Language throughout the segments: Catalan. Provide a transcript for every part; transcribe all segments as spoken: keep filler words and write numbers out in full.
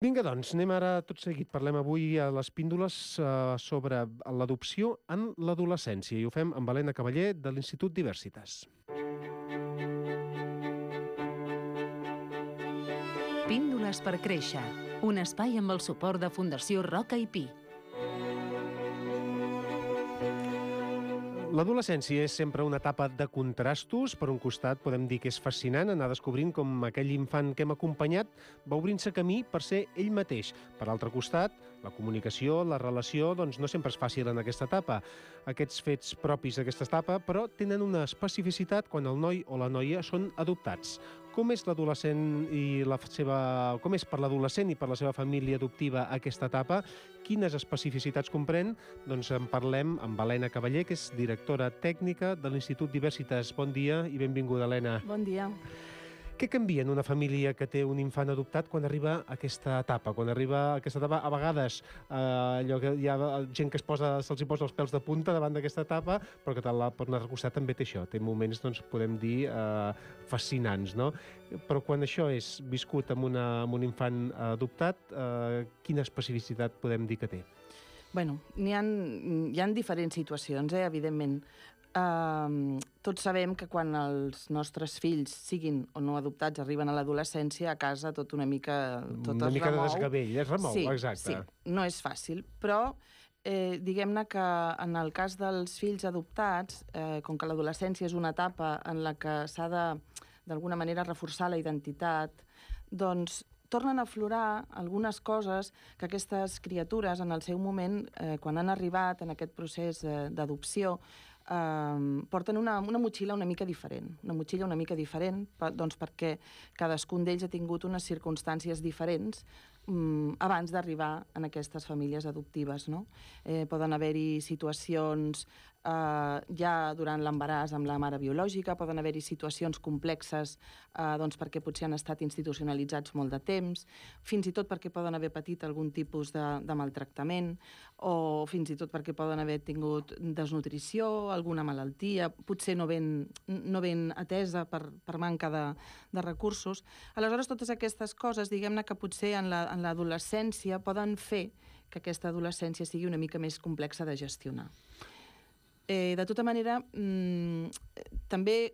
Vinga, doncs, anem ara tot seguit. Parlem avui a les píndoles eh, sobre l'adopció en l'adolescència i ho fem amb Helena Cavaller de l'Institut Diversitas. Píndoles per créixer. Un espai amb el suport de Fundació Roca i Pi. L'adolescència és sempre una etapa de contrastos. Per un costat, podem dir que és fascinant anar descobrint com aquell infant que hem acompanyat va obrint-se camí per ser ell mateix. Per l'altre costat, la comunicació, la relació, doncs no sempre és fàcil en aquesta etapa. Aquests fets propis d'aquesta etapa, però, tenen una especificitat quan el noi o la noia són adoptats. Com és l'adolescent i la seva... Com és per l'adolescent i per la seva família adoptiva aquesta etapa? Quines especificitats comprèn? Doncs en parlem amb Helena Cavaller, que és directora tècnica de l'Institut Diversitas. Bon dia i benvinguda, Helena. Bon dia. Què canvia en una família que té un infant adoptat quan arriba a aquesta etapa? Quan arriba a aquesta etapa, a vegades eh, allò que hi ha gent que es posa, se'ls hi posa els pèls de punta davant d'aquesta etapa, però que tal, per un altre costat també té això. Té moments, doncs, podem dir, eh, fascinants, no? Però quan això és viscut amb, una, amb un infant adoptat, eh, quina especificitat podem dir que té? Bueno, n'hi ha, hi ha diferents situacions, eh, evidentment. Uh, tots sabem que quan els nostres fills, siguin o no adoptats, arriben a l'adolescència, a casa tot una mica tot una es mica remou. de desgavell, es remou, sí, exacte. Sí, no és fàcil, però eh, diguem-ne que en el cas dels fills adoptats, eh, com que l'adolescència és una etapa en la que s'ha de, d'alguna manera, reforçar la identitat, doncs tornen a aflorar algunes coses que aquestes criatures, en el seu moment, eh, quan han arribat en aquest procés eh, d'adopció, Uh, porten una, una motxilla una mica diferent. Una motxilla una mica diferent per, doncs perquè cadascun d'ells ha tingut unes circumstàncies diferents um, abans d'arribar en aquestes famílies adoptives, no? Eh, poden haver-hi situacions Uh, ja durant l'embaràs amb la mare biològica, poden haver-hi situacions complexes uh, doncs perquè potser han estat institucionalitzats molt de temps, fins i tot perquè poden haver patit algun tipus de, de maltractament, o fins i tot perquè poden haver tingut desnutrició, alguna malaltia, potser no ben, no ben atesa per, per manca de, de recursos. Aleshores, totes aquestes coses, diguem-ne que potser en la, en l'adolescència poden fer que aquesta adolescència sigui una mica més complexa de gestionar. Eh, de tota manera, mmm, també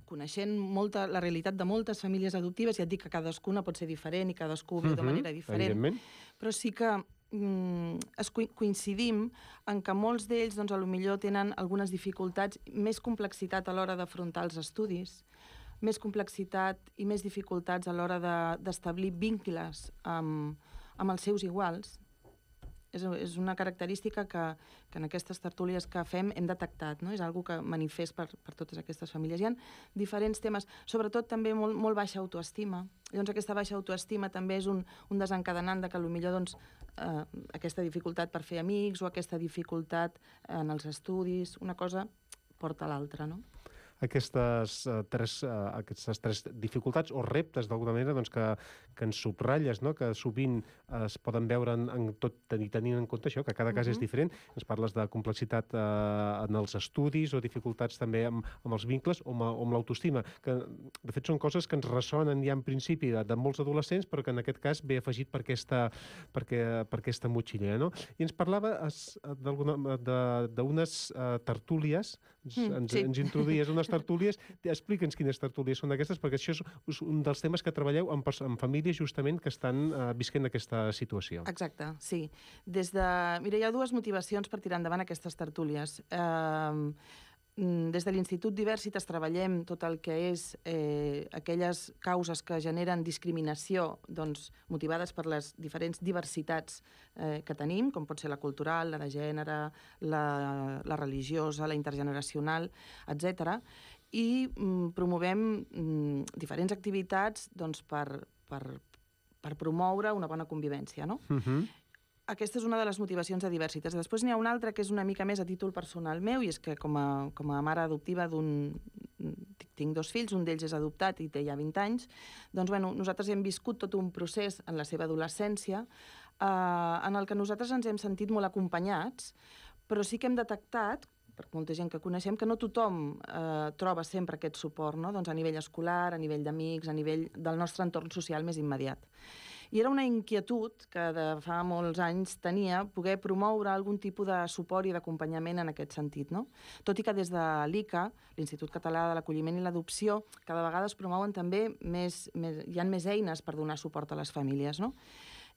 coneixent molta, la realitat de moltes famílies adoptives, ja et dic que cadascuna pot ser diferent i cadascú viu de manera diferent, però sí que mm, es coincidim en que molts d'ells, doncs, a lo millor tenen algunes dificultats, més complexitat a l'hora d'afrontar els estudis, més complexitat i més dificultats a l'hora de, d'establir vincles amb, amb els seus iguals. És, és una característica que, que en aquestes tertúlies que fem hem detectat, no? És algo que manifest per, per totes aquestes famílies. Hi ha diferents temes, sobretot també molt, molt baixa autoestima. Llavors aquesta baixa autoestima també és un, un desencadenant de que potser doncs, eh, aquesta dificultat per fer amics o aquesta dificultat en els estudis, una cosa porta a l'altra, no? Aquestes, uh, tres, uh, aquestes tres dificultats o reptes, d'alguna manera, doncs, que, que ens subratlles, no? Que sovint uh, es poden veure en, en tot, tenint en compte això, que cada cas uh-huh. és diferent. Ens parles de complexitat uh, en els estudis o dificultats també amb, amb els vincles o amb, o amb l'autoestima, que de fet són coses que ens ressonen ja en principi de, de molts adolescents, però que en aquest cas ve afegit per aquesta, per, que, per aquesta motxilla, no? I ens parlava d'unes uh, tertúlies, ens, mm, ens, sí. ens introduïes unes tertúlies. Explica'ns quines tertúlies són aquestes, perquè això és un dels temes que treballeu amb, amb famílies justament que estan uh, visquent aquesta situació. Exacte, sí. Des de... Mira, hi ha dues motivacions per tirar endavant aquestes tertúlies. Uh, des de l'Institut Diversitas treballem tot el que és eh, aquelles causes que generen discriminació, doncs, motivades per les diferents diversitats eh, que tenim, com pot ser la cultural, la de gènere, la, la religiosa, la intergeneracional, etcètera. I mm, promovem mm, diferents activitats doncs, per, per, per promoure una bona convivència, no? Uh-huh. Aquesta és una de les motivacions de Diversitas. Després n'hi ha una altra que és una mica més a títol personal meu, i és que com a, com a mare adoptiva d'un... Tinc dos fills, un d'ells és adoptat i té ja vint anys, doncs bueno, nosaltres hem viscut tot un procés en la seva adolescència eh, en el que nosaltres ens hem sentit molt acompanyats, però sí que hem detectat, per molta gent que coneixem, que no tothom eh, troba sempre aquest suport, no? Doncs a nivell escolar, a nivell d'amics, a nivell del nostre entorn social més immediat. I era una inquietud que de fa molts anys tenia poder promoure algun tipus de suport i d'acompanyament en aquest sentit, no? Tot i que des de l'I C A, l'Institut Català de l'Acolliment i l'Adopció, cada vegada es promouen també més, més, hi ha més eines per donar suport a les famílies, no?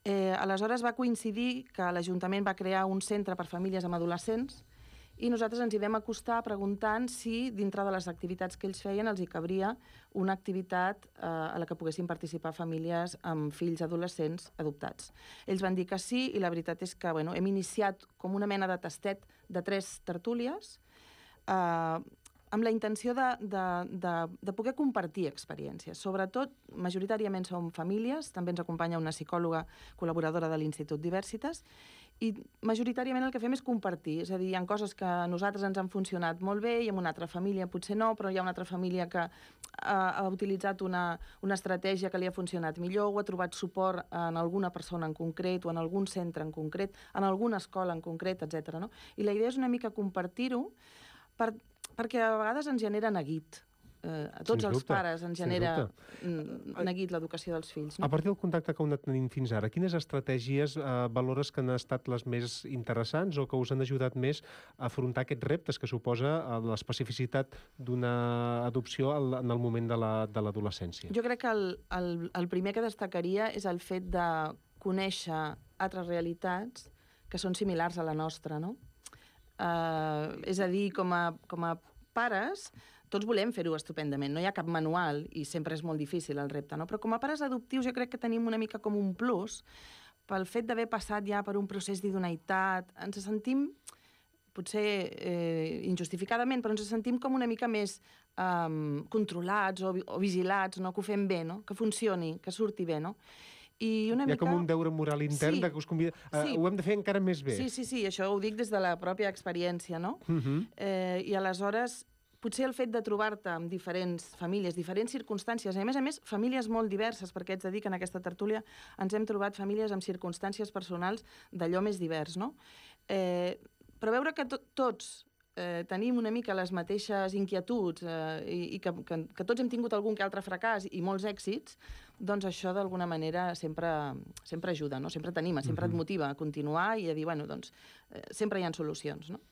Eh, aleshores va coincidir que l'Ajuntament va crear un centre per famílies amb adolescents i nosaltres ens hi vam acostar preguntant si dintre de les activitats que ells feien els hi cabria una activitat eh, a la que poguessin participar famílies amb fills adolescents adoptats. Ells van dir que sí i la veritat és que bueno, hem iniciat com una mena de tastet de tres tertúlies eh, amb la intenció de, de, de, de poder compartir experiències. Sobretot, majoritàriament som famílies, també ens acompanya una psicòloga col·laboradora de l'Institut Diversitas, i majoritàriament el que fem és compartir, és a dir, hi ha coses que a nosaltres ens han funcionat molt bé i en una altra família potser no, però hi ha una altra família que ha, ha utilitzat una, una estratègia que li ha funcionat millor o ha trobat suport en alguna persona en concret o en algun centre en concret, en alguna escola en concret, etcètera. No? I la idea és una mica compartir-ho per, perquè a vegades ens genera neguit. Eh, a tots els pares ens genera neguit l'educació dels fills. No? A partir del contacte que heu anat tenint fins ara, quines estratègies eh, valores que han estat les més interessants o que us han ajudat més a afrontar aquests reptes que suposa l'especificitat d'una adopció en el moment de l'adolescència? Jo crec que el, el, el primer que destacaria és el fet de conèixer altres realitats que són similars a la nostra, no? Uh, és a dir, com a, com a pares, tots volem fer-ho estupendament, no hi ha cap manual i sempre és molt difícil el repte, no? Però com a pares adoptius jo crec que tenim una mica com un plus pel fet d'haver passat ja per un procés d'idoneïtat, ens sentim, potser eh, injustificadament, però ens sentim com una mica més um, controlats o, o vigilats, no? Que ho fem bé, no? Que funcioni, que surti bé, no? I una Hi ha mica... com un deure moral intern sí, de que us convida... Uh, sí. Ho hem de fer encara més bé. Sí, sí, sí, això ho dic des de la pròpia experiència, no? Uh-huh. eh, I aleshores, potser el fet de trobar-te amb diferents famílies, diferents circumstàncies, i a més a més, famílies molt diverses, perquè ets de dir que en aquesta tertúlia ens hem trobat famílies amb circumstàncies personals d'allò més divers, no? Eh, però veure que to tots eh, tenim una mica les mateixes inquietuds eh, i, i que, que, que tots hem tingut algun que altre fracàs i molts èxits, doncs això d'alguna manera sempre, sempre ajuda, no? Sempre t'anima, sempre uh-huh. et motiva a continuar i a dir, bueno, doncs, eh, sempre hi ha solucions, no?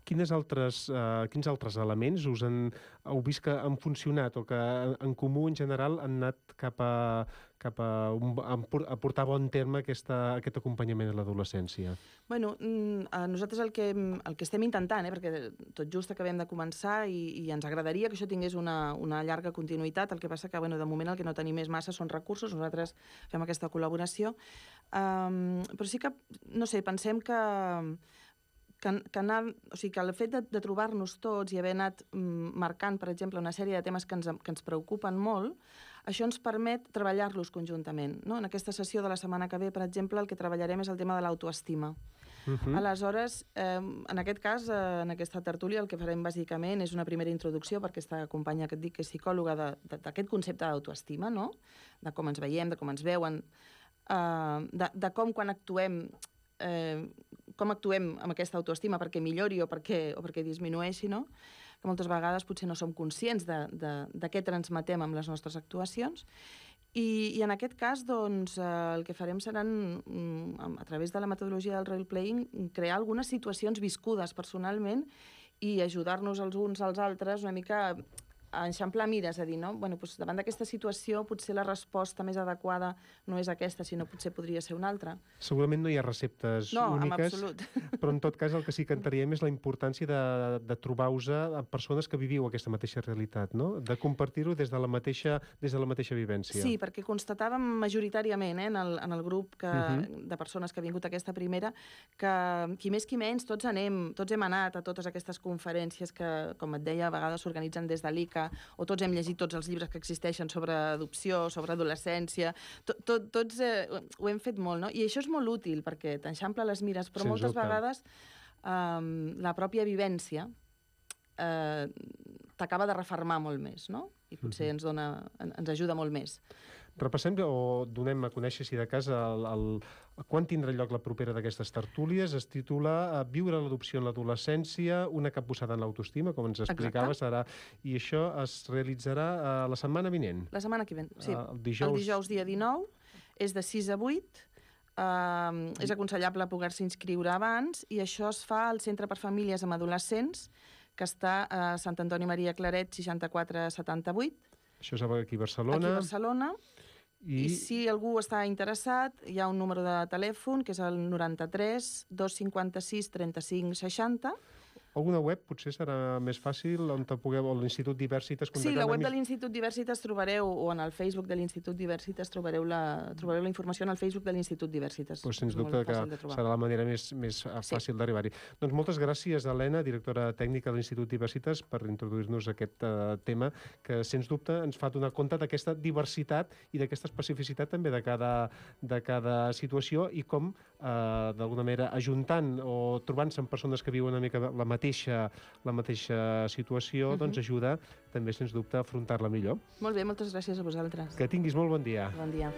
Quines altres, uh, quins altres elements us han, heu vist que han funcionat o que en comú en general han anat cap a, cap a, un, a portar a bon terme aquesta, aquest acompanyament a l'adolescència? Bueno, nosaltres el que, el que estem intentant, eh, perquè tot just acabem de començar i, i ens agradaria que això tingués una, una llarga continuïtat, el que passa que bueno, de moment el que no tenim més massa són recursos, nosaltres fem aquesta col·laboració, um, però sí que, no sé, pensem que Que, que, anar, o sigui, que el fet de, de trobar-nos tots i haver anat mm, marcant, per exemple, una sèrie de temes que ens, que ens preocupen molt, això ens permet treballar-los conjuntament. No? En aquesta sessió de la setmana que ve, per exemple, el que treballarem és el tema de l'autoestima. Uh-huh. Aleshores, eh, en aquest cas, eh, en aquesta tertúlia, el que farem bàsicament és una primera introducció, perquè aquesta companya que et dic que és psicòloga d'aquest concepte d'autoestima, no? De com ens veiem, de com ens veuen, eh, de, de com quan actuem Eh, com actuem amb aquesta autoestima perquè millori o perquè, o perquè disminueixi, no? Que moltes vegades potser no som conscients de, de, de què transmetem amb les nostres actuacions. I, i en aquest cas, doncs, eh, el que farem seran, a través de la metodologia del role-playing, crear algunes situacions viscudes personalment i ajudar-nos els uns als altres una mica a enxamplar mires, a dir, no? Bueno, doncs davant d'aquesta situació potser la resposta més adequada no és aquesta, sinó potser podria ser una altra. Segurament no hi ha receptes no, úniques, en absolut. Però en tot cas el que sí que enteníem és la importància de, de trobar-vos amb persones que viviu aquesta mateixa realitat, no? De compartir-ho des de la mateixa, des de la mateixa vivència. Sí, perquè constatàvem majoritàriament eh, en, el, en el grup que, uh-huh. de persones que ha vingut a aquesta primera que qui més qui menys tots anem, tots hem anat a totes aquestes conferències que, com et deia, a vegades s'organitzen des de l'I C A, o tots hem llegit tots els llibres que existeixen sobre adopció, sobre adolescència, tot, tot, tots eh, ho hem fet molt, no? I això és molt útil perquè t'enxampla les mires, però Sens moltes dubte. vegades eh, la pròpia vivència eh, t'acaba de refermar molt més, no? I potser ens, dona, ens ajuda molt més. Repassem o donem a conèixer, si de cas, el, el, quan tindrà lloc la propera d'aquestes tertúlies. Es titula Viure l'adopció en l'adolescència, una capbussada en l'autoestima, com ens explicava, serà, i això es realitzarà uh, la setmana vinent. La setmana que ve, sí. Uh, el, dijous... el dijous dia dinou. és de sis a vuit, Uh, és aconsellable poder-se inscriure abans, i això es fa al Centre per Famílies amb Adolescents, que està a Sant Antoni Maria Claret, seixanta-quatre setanta-vuit. Això és aquí a Barcelona. Aquí a Barcelona. I... I si algú està interessat, hi ha un número de telèfon, que és el noranta-tres dos cinquanta-sis trenta-cinc seixanta. Alguna web potser serà més fàcil, on te pugueu, o l'Institut Diversitas... Sí, la web de l'Institut Diversitas trobareu, o en el Facebook de l'Institut Diversitas trobareu la, trobareu la informació en el Facebook de l'Institut Diversitas. Pues sens dubte que serà la manera més, més fàcil sí. d'arribar-hi. Doncs moltes gràcies, Helena, directora tècnica de l'Institut Diversitas, per introduir-nos aquest uh, tema, que sens dubte ens fa donar compte d'aquesta diversitat i d'aquesta especificitat també de cada, de cada situació, i com, uh, d'alguna manera, ajuntant o trobant-se amb persones que viuen una mica la mateixa mateixa, la mateixa situació, uh-huh. doncs ajuda també, sens dubte, a afrontar-la millor. Molt bé, moltes gràcies a vosaltres. Que tinguis molt bon dia. Bon dia.